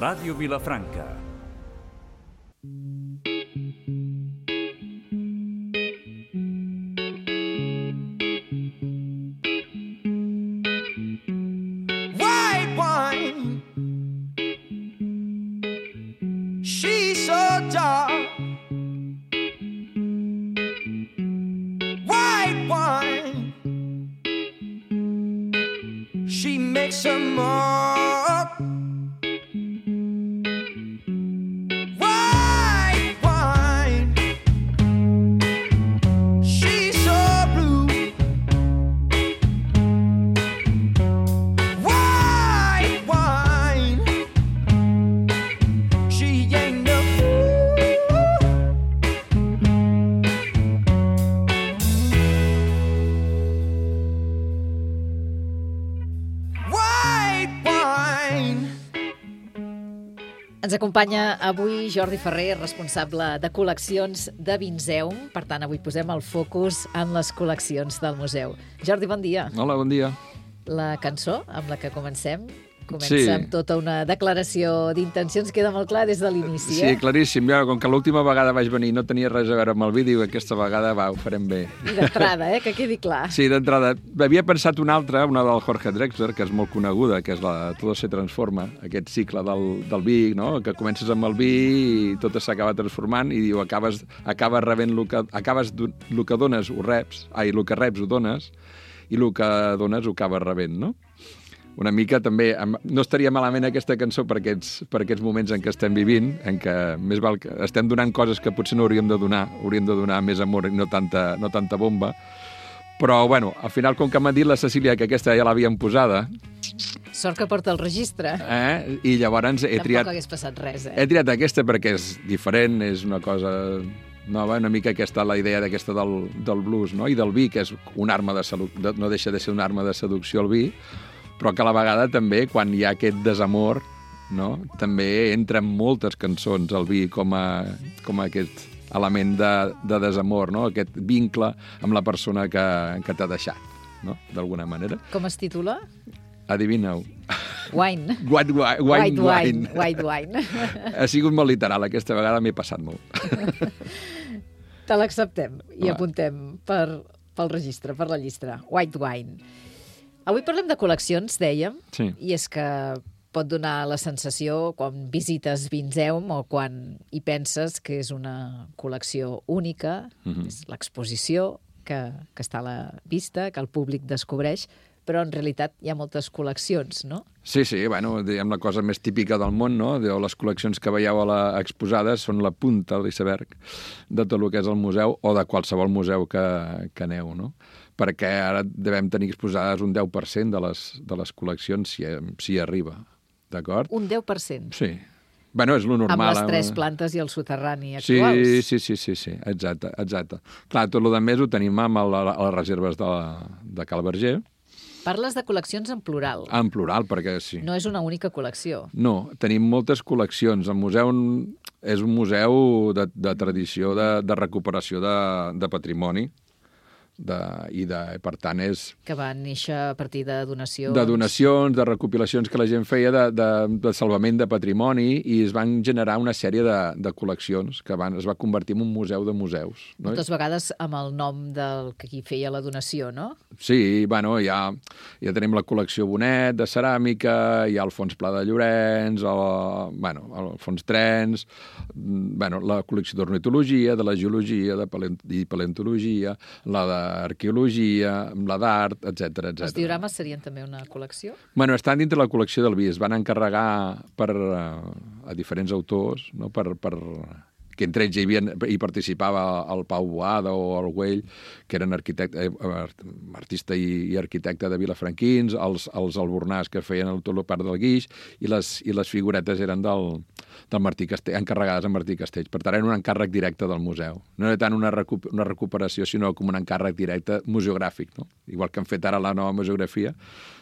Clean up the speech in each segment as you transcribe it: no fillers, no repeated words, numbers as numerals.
Ràdio Vilafranca. White wine, she's so dark. White wine, she makes a mark. White wine, she's so blue. White wine, she ain't no fool. White wine. Ens acompanya avui Jordi Ferrer, responsable de col·leccions de Vinzeum. Per tant, avui posem el focus en les col·leccions del museu. Jordi, bon dia. Hola, bon dia. La cançó amb la que comença Sí. amb tota una declaració d'intencions, queda molt clar des de l'inici, Sí, claríssim. Ja, com que l'última vegada vaig venir no tenia res a veure amb el vídeo, aquesta vegada ho farem bé. I d'entrada, que quedi clar. Sí, d'entrada. Havia pensat una altra, una del Jorge Drexler, que és molt coneguda, que és la Todo se transforma, aquest cicle del vi, no? Que comences amb el vi i tot s'acaba transformant i diu, acabes rebent el que dones ho reps, el que reps ho dones i el que dones ho acabes rebent, no? Una mica també, no estaria malament aquesta cançó per aquests moments en què estem vivint, en què més val que estem donant coses que potser no hauríem de donar més amor i no tanta bomba, però bueno, al final com que m'ha dit la Cecília que aquesta ja l'havien posada... Sort que porta el registre. I llavors he triat... Tampoc hagués passat res, He triat aquesta perquè és diferent, és una cosa nova, una mica aquesta la idea d'aquesta del blues, no? I del vi, que és una arma de seducció, no deixa de ser una arma de seducció el vi, però que a la vegada també, quan hi ha aquest desamor, no? També entren moltes cançons al vi com a aquest element de desamor, no? Aquest vincle amb la persona que t'ha deixat, no? D'alguna manera. Com es titula? Adivina-ho. Wine. White wine. Ha sigut molt literal, aquesta vegada m'he passat molt. Te l'acceptem i apuntem pel registre, per la llista. White wine. Avui parlem de col·leccions, dèiem, sí. I és que pot donar la sensació quan visites Vinzeum o quan hi penses que és una col·lecció única, és l'exposició que està a la vista, que el públic descobreix, però en realitat hi ha moltes col·leccions, no? Sí, bueno, diguem la cosa més típica del món, no? Les col·leccions que veieu exposades són la punta de l'iceberg de tot el que és el museu o de qualsevol museu que aneu, no? Perquè ara devem tenir exposades un 10% de les col·leccions si arriba, d'acord? Un 10%? Sí. Bueno, és lo normal. Amb les 3 plantes i el soterrani actuals. Sí, exacte. Clar, tot el més ho tenim amb les reserves de Cal Verger. Parles de col·leccions en plural. En plural, perquè sí. No és una única col·lecció. No, tenim moltes col·leccions. El museu és un museu de tradició, de recuperació de patrimoni, i per tant és... Que va néixer a partir de donacions. De donacions, de recopilacions que la gent feia de salvament de patrimoni i es van generar una sèrie de col·leccions que es va convertir en un museu de museus. No? Moltes vegades amb el nom del que qui feia la donació, no? Sí, bueno, ja tenim la col·lecció Bonet de ceràmica, hi ha el Fons Pla de Llorenç, el Fons Trens, la col·lecció d'ornitologia, de la geologia, i paleontologia, la d'arqueologia, la d'art, etc. Els diorames serien també una col·lecció? Bueno, estan dintre la col·lecció del vi. Es van encarregar a diferents autors, no? Que entre ells hi participava el Pau Boada o el Güell, que eren artista i arquitecte de vilafranquins, els albornars que feien tot el part del guix, i les figuretes eren del Martí Castell, encarregades a Martí Castells. Per tant, era un encàrrec directe del museu. No era tant una recuperació, sinó com un encàrrec directe museogràfic, no? Igual que han fet ara la nova museografia,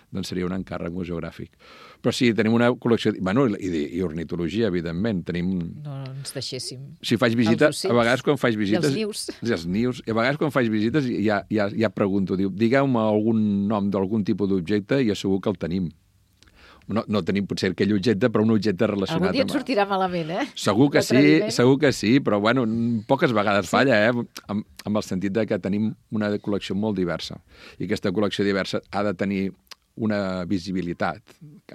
doncs seria un encàrrec museogràfic. Però sí, tenim una col·lecció... Bueno, i ornitologia, evidentment. No ens deixéssim. Si faig visites, a vegades quan faig visites... I els nius. I els nius. I a vegades quan faig visites ja pregunto, digueu-me algun nom d'algun tipus d'objecte i assegur que el tenim. no tenim potser aquell objecte, però un objecte relacionat Algun dia et sortirà malament, eh? Segur que sí, però bueno, poques vegades falla, amb el sentit de que tenim una col·lecció molt diversa. I aquesta col·lecció diversa ha de tenir una visibilitat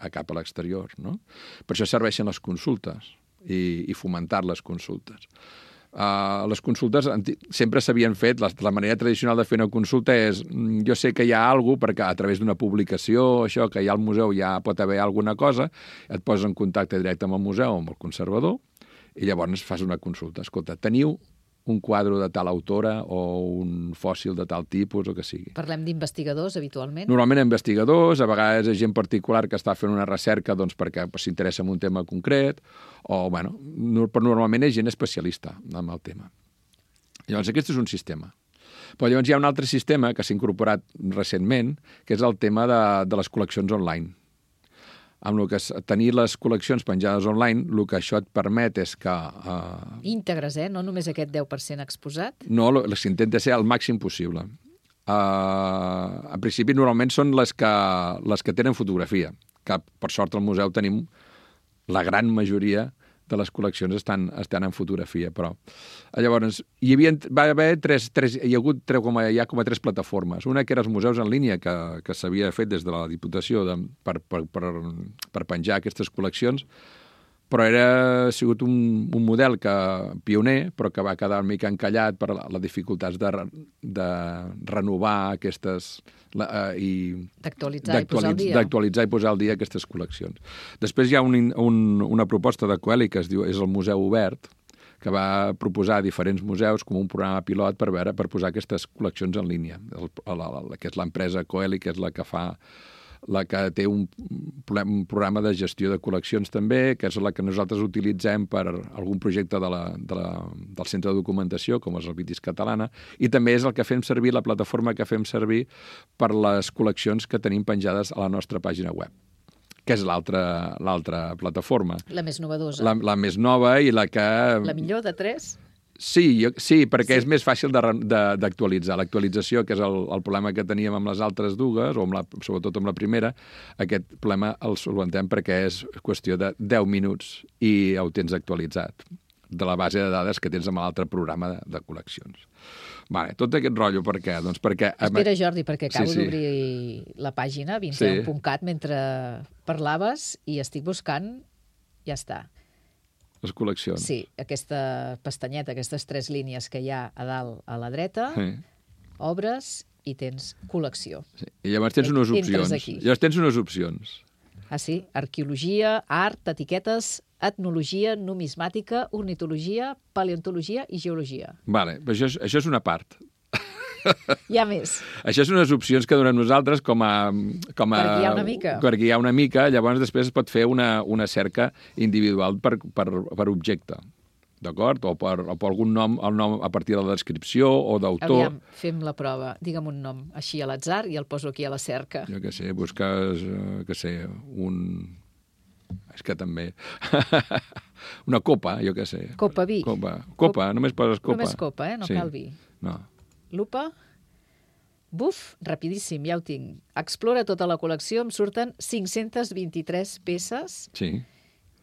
cap a l'exterior, no? Per això serveixen les consultes i fomentar les consultes. Les consultes sempre s'havien fet, la manera tradicional de fer una consulta és, jo sé que hi ha alguna cosa, perquè a través d'una publicació, això, que hi ha al museu ja pot haver alguna cosa, et poses en contacte directe amb el museu, amb el conservador, i llavors fas una consulta. Escolta, teniu un quadre de tal autora o un fòssil de tal tipus o que sigui. Parlem d'investigadors, habitualment? Normalment investigadors, a vegades és gent particular que està fent una recerca doncs, perquè s'interessa en un tema concret, o, bueno, però normalment és gent especialista en el tema. Llavors, aquest és un sistema. Però llavors hi ha un altre sistema que s'ha incorporat recentment, que és el tema de les col·leccions online. Amb el que tenir les col·leccions penjades online, el que això et permet és que... Íntegres, no només aquest 10% exposat? No, s'intenta ser el màxim possible. En principi, normalment són les que tenen fotografia, que per sort al museu tenim la gran majoria de les col·leccions estan en fotografia, però... Llavors, hi ha hagut com a tres plataformes. Una que eren els museus en línia, que s'havia fet des de la Diputació per penjar aquestes col·leccions, però ha sigut un model pioner, però que va quedar una mica encallat per les dificultats de renovar aquestes... D'actualitzar i posar al dia aquestes col·leccions. Després hi ha una proposta de Coeli que es diu és el Museu Obert, que va proposar a diferents museus com un programa pilot per posar aquestes col·leccions en línia, que és l'empresa Coeli, que és la que té un programa de gestió de col·leccions també, que és la que nosaltres utilitzem per algun projecte del Centre de Documentació, com és el Vitis Catalana, i també és el que fem servir, la plataforma que fem servir per les col·leccions que tenim penjades a la nostra pàgina web, que és l'altra plataforma. La més novedosa. La més nova i la que... La millor de 3? Sí, perquè és més fàcil d'actualitzar. L'actualització, que és el problema que teníem amb les altres dues, o sobretot amb la primera, aquest problema el solventem perquè és qüestió de 10 minuts i ho tens actualitzat de la base de dades que tens amb l'altre programa de col·leccions. Vale, tot aquest rotllo, per què? Doncs perquè... Espera, Jordi, perquè acabo d'obrir la pàgina, vinceu.cat, mentre parlaves i estic buscant, ja està. Les col·leccions. Sí, aquesta pestanyeta, aquestes 3 línies que hi ha a dalt a la dreta, obres i tens col·lecció. Sí. I llavors tens unes opcions. Ah, sí? Arqueologia, art, etiquetes, etnologia, numismàtica, ornitologia, paleontologia i geologia. Vale, però això és una part. Hi ha més. Això són unes opcions que donem nosaltres per guiar una mica. Per guiar una mica, llavors després es pot fer una cerca individual per objecte, d'acord? O per algun nom, el nom a partir de la descripció o d'autor. Aviam, fem la prova. Digue'm un nom així a l'atzar i el poso aquí a la cerca. Jo què sé, busques, És que també... Una copa, jo què sé. Copa vi. Copa, només poses copa. Només copa, no cal vi. No. Lupa. Buf, rapidíssim, ja ho tinc. Explora tota la col·lecció, em surten 523 peces. Sí.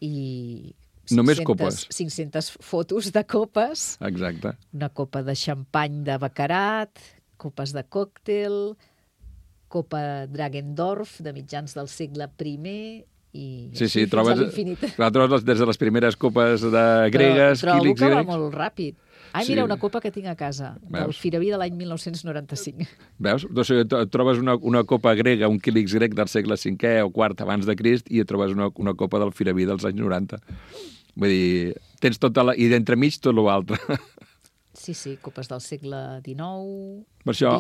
I... Només copes. 500 fotos de copes. Exacte. Una copa de xampany de Baccarat, copes de còctel, copa Dragendorf de mitjans del segle I i sí, trobes des de les primeres copes gregues. Però trobo que va molt ràpid. Ai, mira, una copa que tinc a casa, del Firaví de l'any 1995. Veus? Doncs trobes una copa grega, un quílix grec del segle V o IV abans de Crist i trobes una copa del Firaví dels anys 90. Vull dir, tens tota la... I d'entremig tot l'altre. Sí, copes del segle XIX... Per això,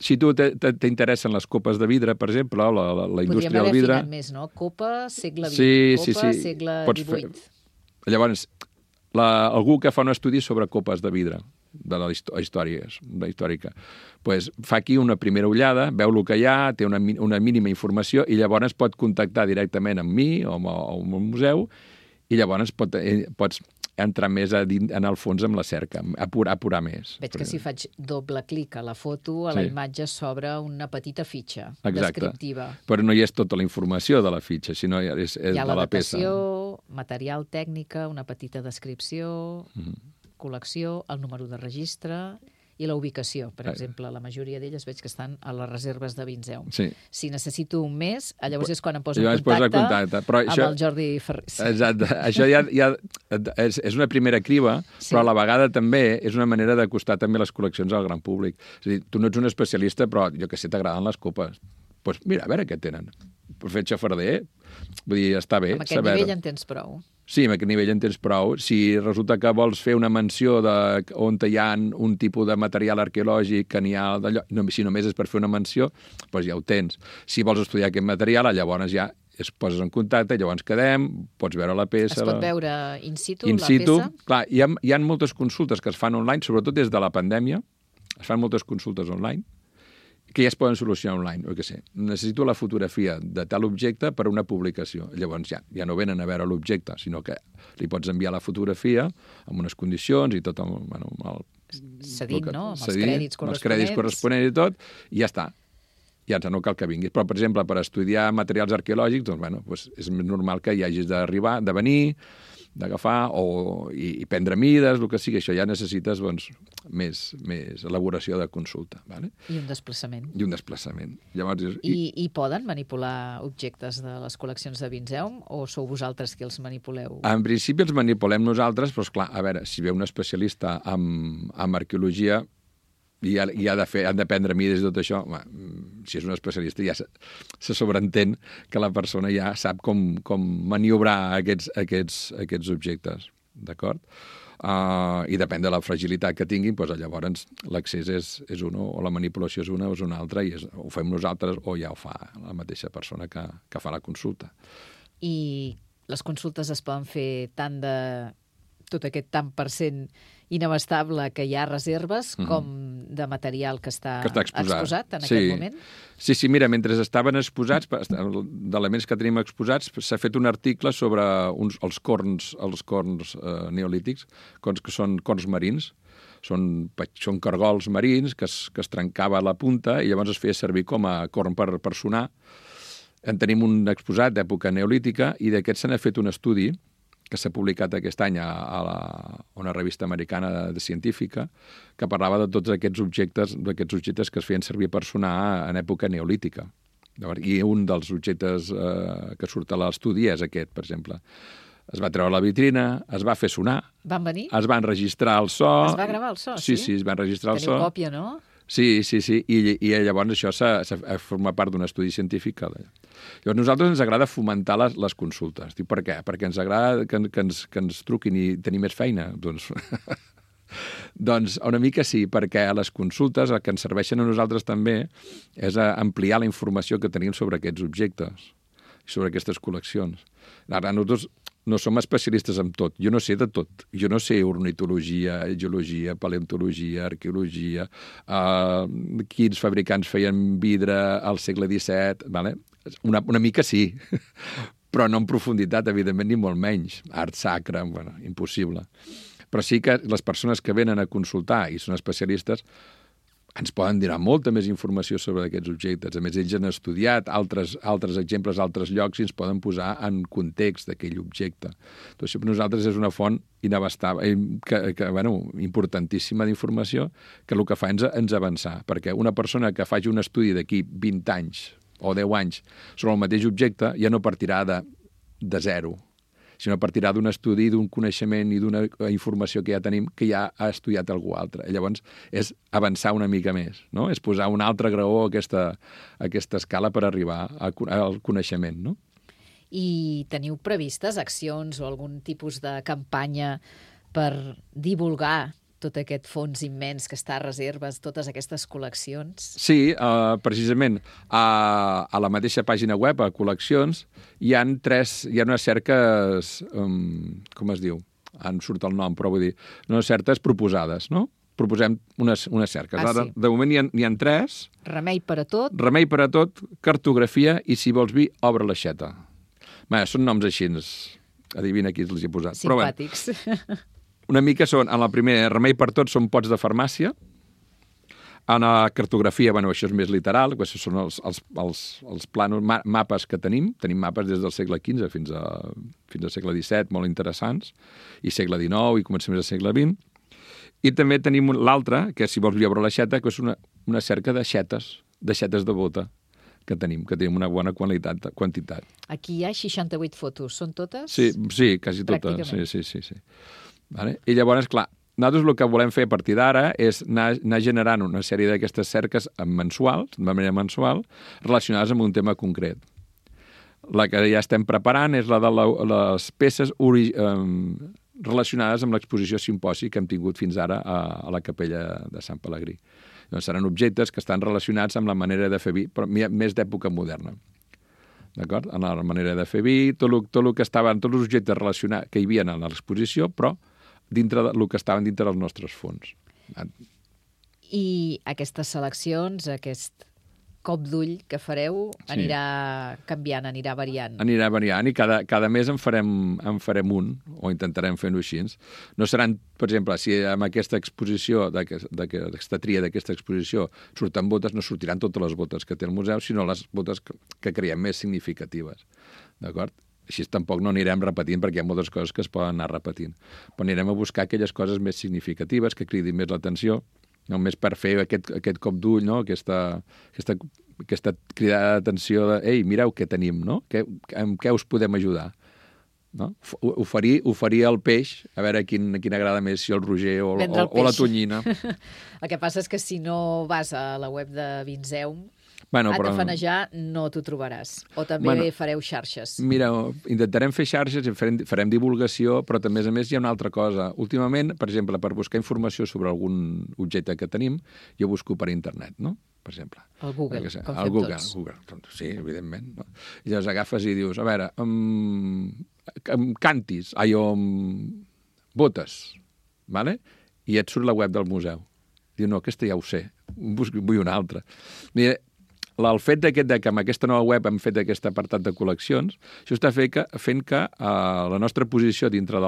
si tu t'interessen les copes de vidre, per exemple, la indústria del vidre... Podríem haver afinat més, no? Copa, segle XX, segle XVIII. Llavors, algú que fa un estudi sobre copes de vidre, de la històrica, pues fa aquí una primera ullada, veu el que hi ha, té una mínima informació i llavors pot contactar directament amb mi o amb el museu i llavors pots entrar més en el fons amb la cerca, apurar més. Veig que si faig doble clic a la foto, a la imatge s'obre una petita fitxa descriptiva. Però no hi és tota la informació de la fitxa, sinó és hi ha de la peça. Hi ha l'adaptació, material tècnica, una petita descripció, col·lecció, el número de registre i la ubicació. Per exemple, la majoria d'elles veig que estan a les reserves de Vinzeum. Sí. Si necessito un mes, llavors és quan em poso en contacte però amb el Jordi Ferrer. Exacte. Això ja és una primera criba, però a la vegada també és una manera d'acostar també les col·leccions al gran públic. És a dir, tu no ets un especialista, però jo que sé, t'agraden les copes. Doncs mira, a veure què tenen. Per fer xafarder, vull dir, està bé. Amb aquest nivell en tens prou. Sí, amb aquest nivell en tens prou. Si resulta que vols fer una menció on hi ha un tipus de material arqueològic que n'hi ha d'allò, si només és per fer una menció, doncs ja ho tens. Si vols estudiar aquest material, llavors ja es poses en contacte, llavors quedem, pots veure la peça... Es pot veure in situ la peça? Clar, hi ha moltes consultes que es fan online, sobretot des de la pandèmia, es fan moltes consultes online, que ja es poden solucionar online, o què sé. Necessito la fotografia de tal objecte per a una publicació. Llavors ja no venen a veure l'objecte, sinó que li pots enviar la fotografia amb unes condicions i tot cedit, no? Amb els crèdits corresponents i tot, i ja està. Ja no cal que vinguis. Però, per exemple, per estudiar materials arqueològics, doncs, és més normal que hi hagis d'arribar, de venir, d'agafar i prendre mides, el que sigui. Això ja necessites més elaboració de consulta. Vale? I un desplaçament. Llavors, I poden manipular objectes de les col·leccions de Vinzeum o sou vosaltres qui els manipuleu? En principi els manipulem nosaltres, però, esclar, a veure, si ve un especialista en arqueologia i han de prendre mides i tot això, si és un especialista ja se sobreentén que la persona ja sap com maniobrar aquests objectes, d'acord? I depèn de la fragilitat que tinguin, doncs llavors l'accés és un, o la manipulació és una o és una altra, i ho fem nosaltres o ja ho fa la mateixa persona que fa la consulta. I les consultes es poden fer tant de tot aquest tant per cent inabastable que hi ha reserves com de material que està exposat en aquest moment? Sí, mira, mentre estaven exposats, d'elements que tenim exposats, s'ha fet un article sobre els corns neolítics, que són corns marins, són cargols marins que es trencava a la punta i llavors es feia servir com a corn per sonar. En tenim un exposat d'època neolítica i d'aquest se n'ha fet un estudi que s'ha publicat aquest any a una revista americana de científica, que parlava de tots aquests objectes que es feien servir per sonar en època neolítica. I un dels objectes que surt a l'estudi és aquest, per exemple. Es va treure la vitrina, es va fer sonar. Van venir? Es van registrar el so. Es va gravar el so, sí? Sí, es van registrar el so. Teniu còpia, no? Sí, i llavors això forma part d'un estudi científic. Llavors, a nosaltres ens agrada fomentar les consultes. Diu, per què? Perquè ens agrada que ens truquin i tenir més feina? Doncs una mica sí, perquè a les consultes el que ens serveixen a nosaltres també és ampliar la informació que tenim sobre aquests objectes, sobre aquestes col·leccions. Ara, nosaltres no som especialistes en tot. Jo no sé de tot. Jo no sé ornitologia, geologia, paleontologia, arqueologia, quins fabricants feien vidre al segle XVII. Vale? Una mica sí, però no en profunditat, evidentment, ni molt menys. Art sacre, impossible. Però sí que les persones que venen a consultar i són especialistes ens poden donar molta més informació sobre aquests objectes. A més, ells han estudiat altres exemples, altres llocs, i ens poden posar en context d'aquell objecte. Doncs això per nosaltres és una font inabastable, importantíssima d'informació, que el que fa és avançar. Perquè una persona que faci un estudi d'aquí 20 anys o 10 anys sobre el mateix objecte ja no partirà de zero, sinó partirà d'un estudi, d'un coneixement i d'una informació que ja tenim, que ja ha estudiat algú altre. Llavors, és avançar una mica més, no? És posar un altre graó a aquesta escala per arribar al coneixement, no? I teniu previstes accions o algun tipus de campanya per divulgar tot aquest fons immens que està a reserves, totes aquestes col·leccions? Sí, precisament. A la mateixa pàgina web, a col·leccions, hi ha unes cerques, com es diu? Em surt el nom, però vull dir, unes certes proposades, no? Proposem unes cerques. Ara, de moment n'hi ha 3. Remei per a tot. Remei per a tot, cartografia i, si vols vi, obre l'aixeta. Són noms així adivina qui els hi he posat. Però, Simpàtics. una mica són, en la primera, Remei per tots són pots de farmàcia. En la cartografia, bueno, això és més literal, això són els plànols, mapes que tenim. Tenim mapes des del segle XV fins al segle XVII, molt interessants, i segle XIX, i comencem del segle XX. I també tenim l'altre, que si vols veure l'aixeta, que és una cerca d'aixetes de bota, que tenim una bona quantitat. Aquí hi ha 68 fotos. Són totes? Sí, quasi totes. Pràcticament. Sí. Vale? I llavors, clar, nosaltres el que volem fer a partir d'ara és anar generant una sèrie d'aquestes cerques mensuals, de manera mensual, relacionades amb un tema concret. La que ja estem preparant és la de les peces relacionades amb l'exposició simposi que hem tingut fins ara a la capella de Sant Pelegrí. Doncs seran objectes que estan relacionats amb la manera de fer vi, però més d'època moderna. D'acord? En la manera de fer vi, tot el que estaven, tots els objectes relacionats que hi havia a l'exposició, però dintre del que estaven dintre dels nostres fons. I aquestes seleccions, aquest cop d'ull que fareu, anirà canviant, anirà variant. Anirà variant i cada mes en farem un, o intentarem fer-ho així. No seran, per exemple, si amb aquesta exposició, d'aquesta tria d'aquesta exposició, surten botes, no sortiran totes les botes que té el museu, sinó les botes que creiem més significatives. D'acord? Així tampoc no anirem repetint, perquè hi ha moltes coses que es poden anar repetint. Però anirem a buscar aquelles coses més significatives, que cridin més l'atenció, només per fer aquest cop d'ull, no? aquesta cridada d'atenció de «Ei, mireu què tenim, no? Amb què us podem ajudar?» No? Oferir el peix, a veure quin agrada més, si el roger o la tonyina. El que passa és que si no vas a la web de Vinzeum, a tafanejar no t'ho trobaràs. O també fareu xarxes. Mira, intentarem fer xarxes i farem divulgació, però també, a més, hi ha una altra cosa. Últimament, per exemple, per buscar informació sobre algun objecte que tenim, jo busco per internet, no? Per exemple. El Google, com fem tots. Google, sí, evidentment. No? I llavors agafes i dius, a veure, cantis, botes, vale? I et surt la web del museu. Diu, no, aquesta ja ho sé, vull una altra. Mira, el fet que amb aquesta nova web hem fet aquest apartat de col·leccions, això està fent que la nostra posició dintre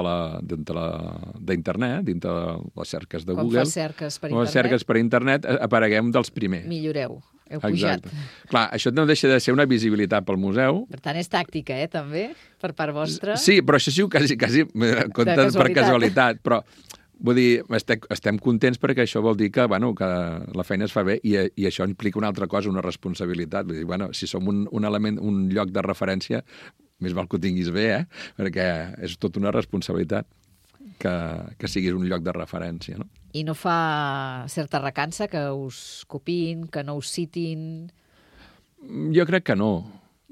d'internet, dintre de les cerques de Google, les cerques per internet, apareguem dels primers. Milloreu, heu pujat. Clar, això no deixa de ser una visibilitat pel museu. Per tant, és tàctica, també, per part vostra. Sí, però això sí, quasi per casualitat, però... Vull dir, estem contents perquè això vol dir que la feina es fa bé i això implica una altra cosa, una responsabilitat. Vull dir, si som un element, un lloc de referència, més val que ho tinguis bé, perquè és tota una responsabilitat que siguis un lloc de referència. No? I no fa certa recança que us copiïn, que no us citin? Jo crec que no.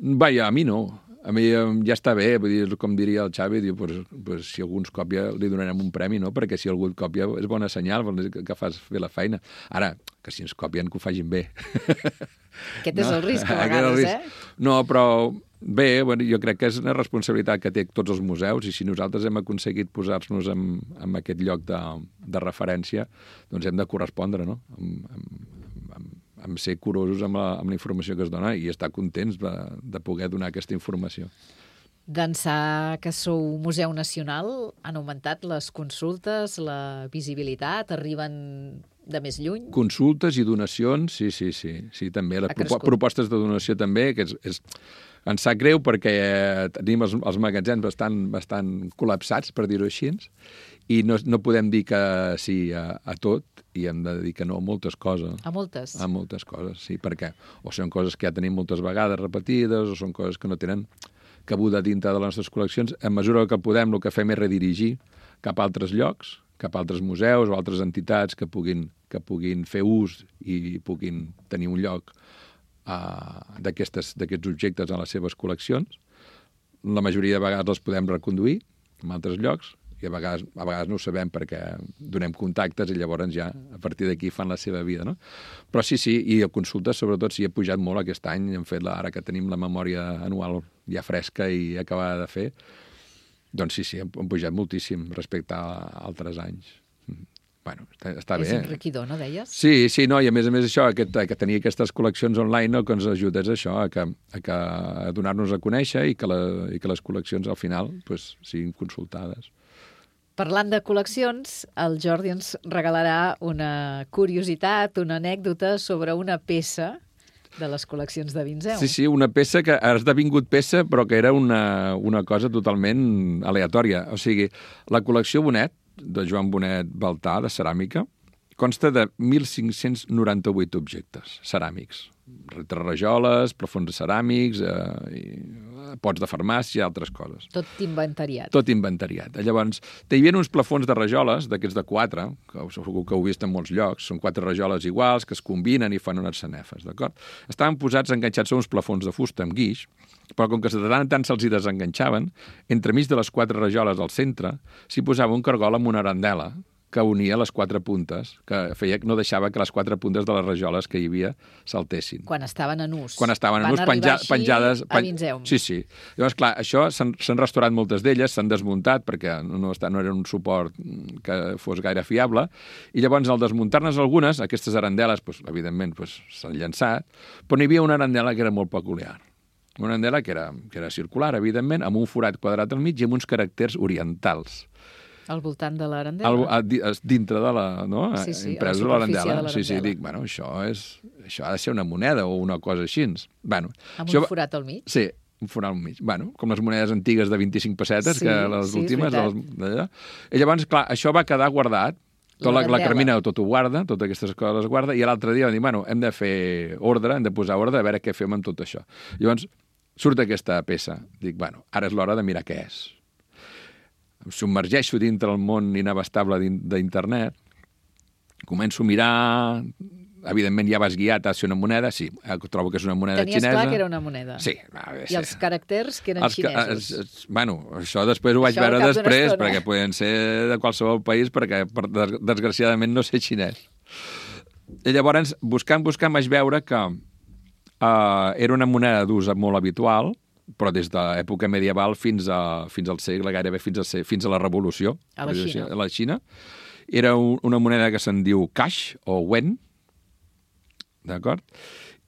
A mi no. A mi ja està bé, vull dir, com diria el Xavi, diu, pues, si algú ens còpia li donarem un premi, no? Perquè si algú et còpia és bona senyal, vol dir que fas bé la feina. Ara, que si ens copien que ho facin bé. Aquest és el risc, a vegades, No, però bé, jo crec que és una responsabilitat que té tots els museus i si nosaltres hem aconseguit posar-nos en aquest lloc de referència, doncs hem de correspondre, no? Amb ser curosos amb la informació que es dona i estar contents de poder donar aquesta informació. D'ençà que sou Museu Nacional, han augmentat les consultes, la visibilitat, arriben de més lluny? Consultes i donacions, sí, també. Les propostes de donació també, que ens sap greu perquè tenim els magatzems bastant col·lapsats, per dir-ho així, i no podem dir que sí a tot, i hem de dir que no a moltes coses. A moltes? A moltes coses, sí, perquè o són coses que ja tenim moltes vegades repetides, o són coses que no tenen cabuda dintre de les nostres col·leccions. En mesura que podem, el que fem és redirigir cap a altres llocs, cap a altres museus o altres entitats que puguin fer ús i puguin tenir un lloc d'aquests objectes en les seves col·leccions. La majoria de vegades els podem reconduir en altres llocs, i a vegades no ho sabem perquè donem contactes i llavors ja a partir d'aquí fan la seva vida, no? Però sí, i a consultes sobretot sí, he pujat molt aquest any, hem fet ara que tenim la memòria anual ja fresca i acabada de fer, doncs sí, hem pujat moltíssim respecte a altres anys. bueno, està És bé. enriquidor, no, deies? Sí, no, i a més això, que tenir aquestes col·leccions online, no, que ens ajuda és això, a donar-nos a conèixer i que les col·leccions al final pues, siguin consultades. Parlant de col·leccions, el Jordi ens regalarà una curiositat, una anècdota sobre una peça de les col·leccions de Vinzeu. Sí, una peça que ha esdevingut peça, però que era una cosa totalment aleatòria. O sigui, la col·lecció Bonet, de Joan Bonet Baltà, de ceràmica, consta de 1.598 objectes ceràmics. Rajoles, plafons ceràmics, pots de farmàcia, altres coses. Tot inventariat. Tot inventariat. Llavors, hi havia uns plafons de rajoles, d'aquests de 4, que segur que heu vist en molts llocs, són 4 rajoles iguals, que es combinen i fan unes sanefes, d'acord? Estaven posats, enganxats a uns plafons de fusta amb guix, però com que de tant en tant se'ls hi desenganxaven, entremig de les 4 rajoles al centre, s'hi posava un cargol amb una arandela, que unia les 4 puntes, que no deixava que les 4 puntes de les rajoles que hi havia saltessin. Quan estaven en ús. Quan estaven en ús, penjades... a Vinzeu. Sí. Llavors, clar, això s'han restaurat moltes d'elles, s'han desmuntat perquè no era un suport que fos gaire fiable, i llavors al desmuntar-ne algunes, aquestes arandeles, evidentment, s'han llançat, però n'hi havia una arandela que era molt peculiar. Una arandela que era circular, evidentment, amb un forat quadrat al mig i amb uns caràcters orientals. Al voltant de l'arandela? Dintre de la... No? Sí, a la superfície de l'arandela. Sí, dic, bueno, això ha de ser una moneda o una cosa així. Bueno, amb un forat al mig? Sí, un forat al mig. Bueno, com les monedes antigues de 25 pessetes, que les últimes... I llavors, clar, això va quedar guardat. La Carmina tot ho guarda, totes aquestes coses les guarda, i l'altre dia van dir, bueno, hem de fer ordre, hem de posar ordre, a veure què fem amb tot això. Llavors, surt aquesta peça. Dic, bueno, ara és l'hora de mirar què és. Em submergeixo dintre el món inabastable d'internet, començo a mirar, evidentment ja vas guiat a ser una moneda, sí, trobo que és una moneda xinesa. Tenies clar que era una moneda? Sí. I els caràcters que eren xinesos? Bueno, això després ho vaig veure després, perquè poden ser de qualsevol país, perquè desgraciadament no sé xinès. I llavors, buscant, vaig veure que era una moneda d'ús molt habitual, però des de l'època medieval fins al segle, gairebé fins a la Revolució. A la Xina. Era una moneda que se'n diu caix o wen, d'acord?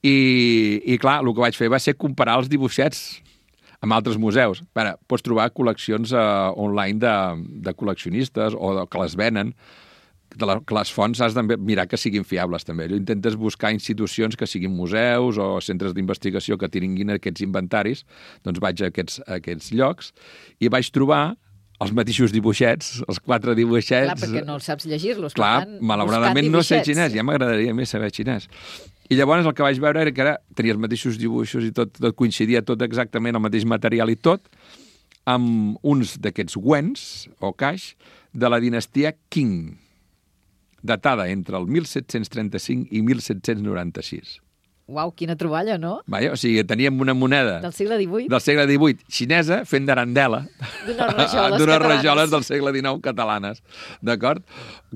I clar, el que vaig fer va ser comparar els dibuixets amb altres museus. Pots trobar col·leccions online de col·leccionistes o que les venen, que les fonts has de mirar que siguin fiables també. Intentes buscar institucions que siguin museus o centres d'investigació que tinguin aquests inventaris, doncs vaig a aquests llocs i vaig trobar els mateixos dibuixets, els 4 dibuixets... Clar, perquè no saps llegir-los. Clar, malauradament no sé xinès, ja m'agradaria més saber xinès. I llavors el que vaig veure era que tenia els mateixos dibuixos i tot coincidia, tot exactament el mateix material i tot, amb uns d'aquests wens o caix de la dinastia Qing, datada entre el 1735 i 1796. Uau, quina troballa, no? O sigui, teníem una moneda... Del segle XVIII? Del segle XVIII, xinesa, fent d'arandela. D'unes rajoles del segle XIX catalanes. D'acord?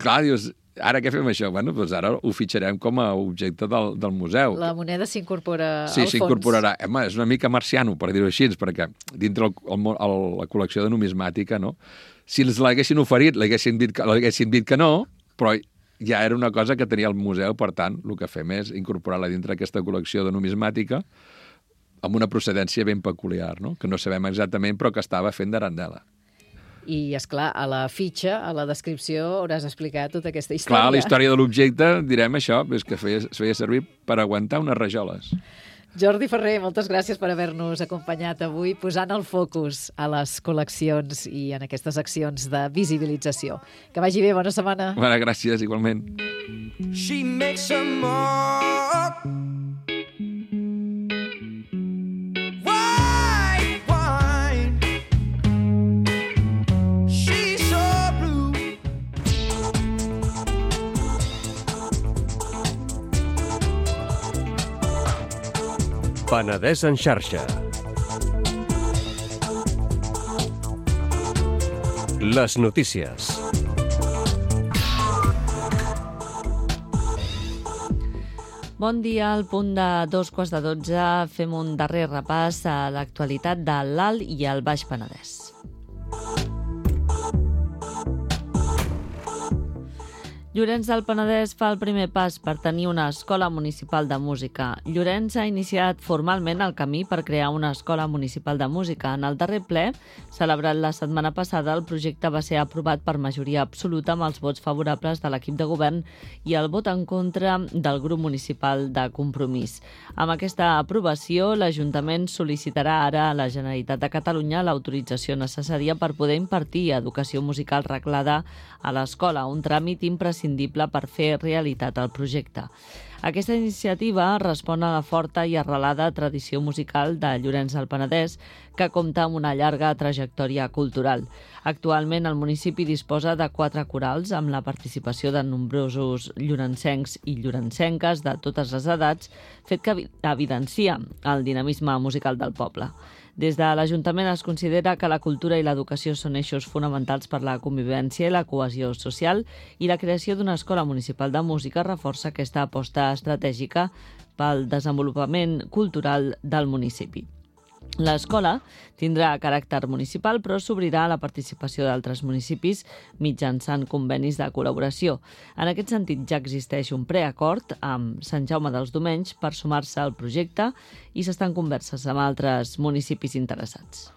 Clar, dius, ara què fem això? Bueno, doncs ara ho fitxarem com a objecte del museu. La moneda s'incorpora al fons. Sí, s'incorporarà. És una mica marciano, per dir-ho així, perquè dintre la col·lecció de numismàtica, no? Si els l'haguessin oferit, l'haguessin dit que no, però ja era una cosa que tenia el museu, per tant, el que fem és incorporar-la dintre aquesta col·lecció de numismàtica amb una procedència ben peculiar, no? Que no sabem exactament, però que estava fent d'arandela. I, esclar, a la fitxa, a la descripció, hauràs explicat tota aquesta història. Clar, la història de l'objecte, direm això, és que es feia servir per aguantar unes rajoles. Jordi Ferrer, moltes gràcies per haver-nos acompanyat avui, posant el focus a les col·leccions i en aquestes accions de visibilització. Que vagi bé, bona setmana. Bona, gràcies, igualment. She makes a mark. White wine. She's so blue. Penedès en xarxa. Les notícies. Bon dia, al punt de 2:15 fem un darrer repàs a l'actualitat de l'Alt i el Baix Penedès. Llorenç del Penedès fa el primer pas per tenir una escola municipal de música. Llorenç ha iniciat formalment el camí per crear una escola municipal de música. En el darrer ple, celebrat la setmana passada, el projecte va ser aprovat per majoria absoluta amb els vots favorables de l'equip de govern i el vot en contra del grup municipal de Compromís. Amb aquesta aprovació, l'Ajuntament sol·licitarà ara a la Generalitat de Catalunya l'autorització necessària per poder impartir educació musical reglada a l'escola, un tràmit imprescindible per fer realitat el projecte. Aquesta iniciativa respon a la forta i arrelada tradició musical de Llorenç del Penedès, que compta amb una llarga trajectòria cultural. Actualment, el municipi disposa de 4 corals amb la participació de nombrosos llorencencs i llorencenques de totes les edats, fet que evidencia el dinamisme musical del poble. Des de l'Ajuntament es considera que la cultura i l'educació són eixos fonamentals per la convivència i la cohesió social i la creació d'una escola municipal de música reforça aquesta aposta estratègica pel desenvolupament cultural del municipi. L'escola tindrà caràcter municipal, però s'obrirà a la participació d'altres municipis mitjançant convenis de col·laboració. En aquest sentit, ja existeix un preacord amb Sant Jaume dels Domenys per sumar-se al projecte i s'estan converses amb altres municipis interessats.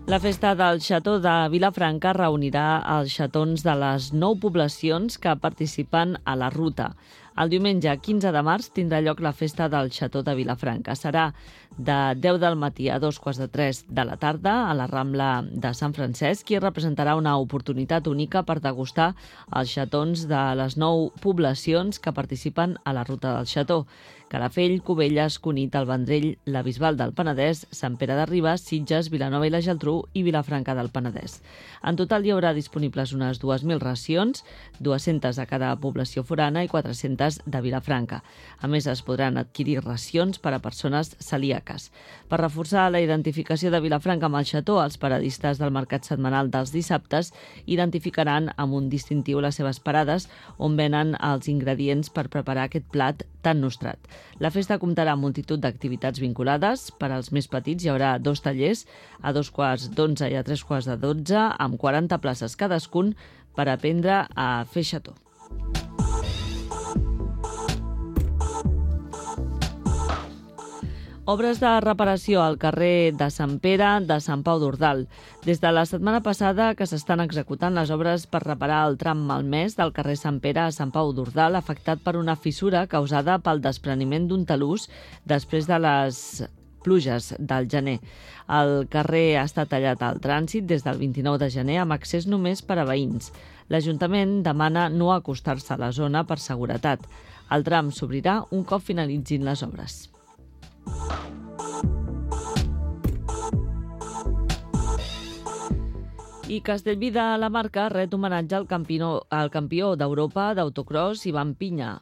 La festa del Xató de Vilafranca reunirà els xatons de les 9 poblacions que participen a la ruta. El diumenge 15 de març tindrà lloc la festa del Xató de Vilafranca. Serà de 10 del matí a 2:45 de la tarda a la Rambla de Sant Francesc i representarà una oportunitat única per degustar els xatons de les 9 poblacions que participen a la ruta del Xató: Calafell, Cubelles, Cunit, el Vendrell, la Bisbal del Penedès, Sant Pere de Ribes, Sitges, Vilanova i la Geltrú i Vilafranca del Penedès. En total hi haurà disponibles unes 2.000 racions, 200 a cada població forana i 400 de Vilafranca. A més, es podran adquirir racions per a persones celíaques. Per reforçar la identificació de Vilafranca amb el Xató, els paradistes del mercat setmanal dels dissabtes identificaran amb un distintiu les seves parades on venen els ingredients per preparar aquest plat tan nostrat. La festa comptarà amb multitud d'activitats vinculades. Per als més petits hi haurà 2 tallers, a 2:15 i a 3:12, amb 40 places cadascun per aprendre a fer xató. Obres de reparació al carrer de Sant Pere de Sant Pau d'Ordal. Des de la setmana passada que s'estan executant les obres per reparar el tram malmès del carrer Sant Pere a Sant Pau d'Ordal, afectat per una fissura causada pel despreniment d'un talús després de les pluges del gener. El carrer ha estat tallat al trànsit des del 29 de gener amb accés només per a veïns. L'Ajuntament demana no acostar-se a la zona per seguretat. El tram s'obrirà un cop finalitzin les obres. I Castellví de la Marca ret homenatge al campió d'Europa d'autocross Ivan Piña.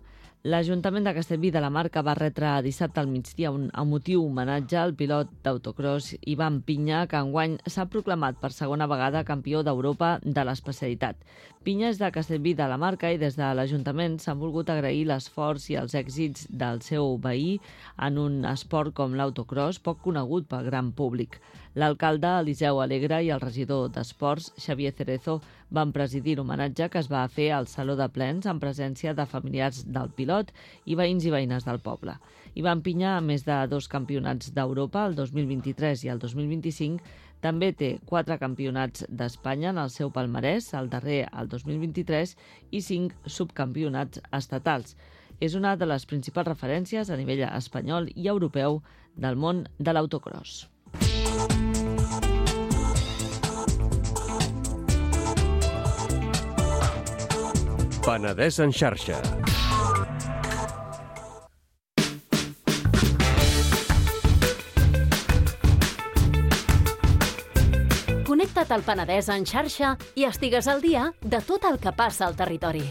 L'Ajuntament de Castellví de la Marca va retre dissabte al migdia un emotiu homenatge al pilot d'autocross Ivan Piña, que enguany s'ha proclamat per segona vegada campió d'Europa de l'especialitat. Piña és de Castellví de la Marca i des de l'Ajuntament s'han volgut agrair l'esforç i els èxits del seu veí en un esport com l'autocross, poc conegut pel gran públic. L'alcalde Eliseu Alegre i el regidor d'Esports, Xavier Cerezo, van presidir l'homenatge que es va fer al Saló de Plens en presència de familiars del pilot i veïns i veïnes del poble. Ivan Piña, a més de 2 campionats d'Europa, el 2023 i el 2025, també té 4 campionats d'Espanya en el seu palmarès, el darrer el 2023, i 5 subcampionats estatals. És una de les principals referències a nivell espanyol i europeu del món de l'autocross. Penedès en xarxa. Connecta't al Penedès en xarxa i estigues al dia de tot el que passa al territori.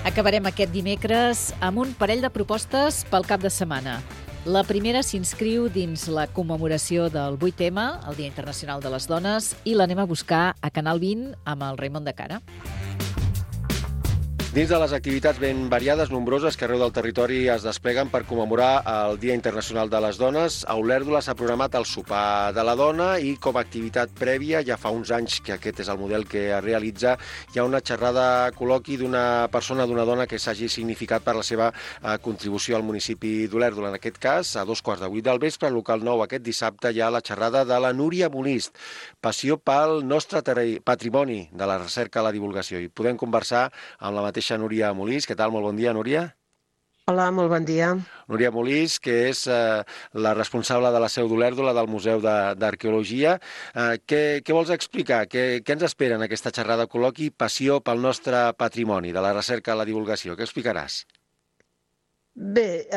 Acabarem aquest dimecres amb un parell de propostes pel cap de setmana. La primera s'inscriu dins la commemoració del 8M, el Dia Internacional de les Dones, i l'anem a buscar a Canal 20 amb el Raimon de Cara. Dins de les activitats ben variades, nombroses, que arreu del territori es despleguen per commemorar el Dia Internacional de les Dones, a Olèrdola s'ha programat el sopar de la dona i com a activitat prèvia, ja fa uns anys que aquest és el model que es realitza, hi ha una xerrada col·loqui d'una persona, d'una dona que s'hagi significat per la seva contribució al municipi d'Olèrdola. En aquest cas, a 2:15 del vespre, al local 9, aquest dissabte, hi ha la xerrada de la Núria Molist, passió pel nostre patrimoni de la recerca a la divulgació. I podem conversar amb la mateixa Núria Molist. Què tal? Molt bon dia, Núria. Hola, molt bon dia. Núria Molist, que és la responsable de la seu d'Olèrdola, del Museu d'Arqueologia. Què vols explicar? Què ens espera en aquesta xerrada col·loqui Passió pel nostre patrimoni, de la recerca a la divulgació? Què explicaràs? Bé,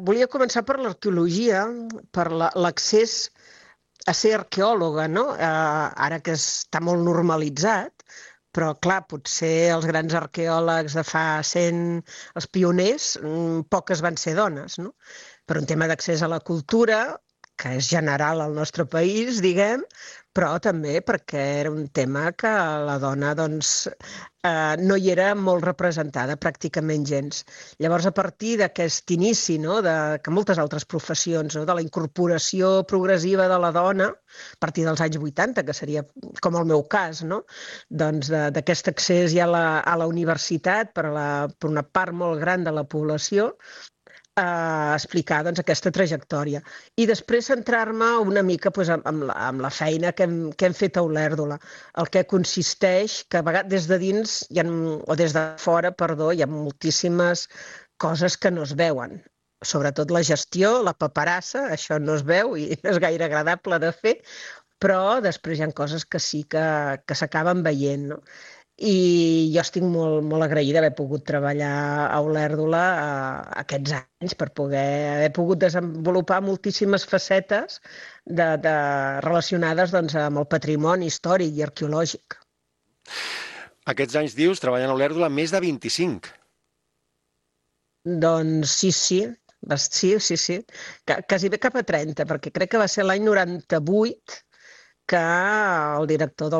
volia començar per l'arqueologia, per l'accés a ser arqueòloga, no? Ara que està molt normalitzat, però, clar, potser els grans arqueòlegs de fa 100, els pioners, poques van ser dones, no? Per un tema d'accés a la cultura, que és general al nostre país, diguem, però també perquè era un tema que la dona doncs, no hi era molt representada, pràcticament gens. Llavors, a partir d'aquest inici, no, que moltes altres professions, no, de la incorporació progressiva de la dona, a partir dels anys 80, que seria com el meu cas, no, doncs d'aquest accés ja a la universitat per una part molt gran de la població, explicar doncs, aquesta trajectòria. I després centrar-me una mica doncs, amb la feina que hem fet a Olèrdola, el que consisteix que a vegades des de dins, o des de fora, perdó, hi ha moltíssimes coses que no es veuen. Sobretot la gestió, la paperassa, això no es veu i no és gaire agradable de fer, però després hi ha coses que sí que s'acaben veient, no? I jo estic molt, molt agraïda d'haver pogut treballar a Olèrdola aquests anys per haver pogut desenvolupar moltíssimes facetes relacionades doncs, amb el patrimoni històric i arqueològic. Aquests anys, dius, treballant a Olèrdola, més de 25. Doncs sí. Quasi bé cap a 30, perquè crec que va ser l'any 98 que el director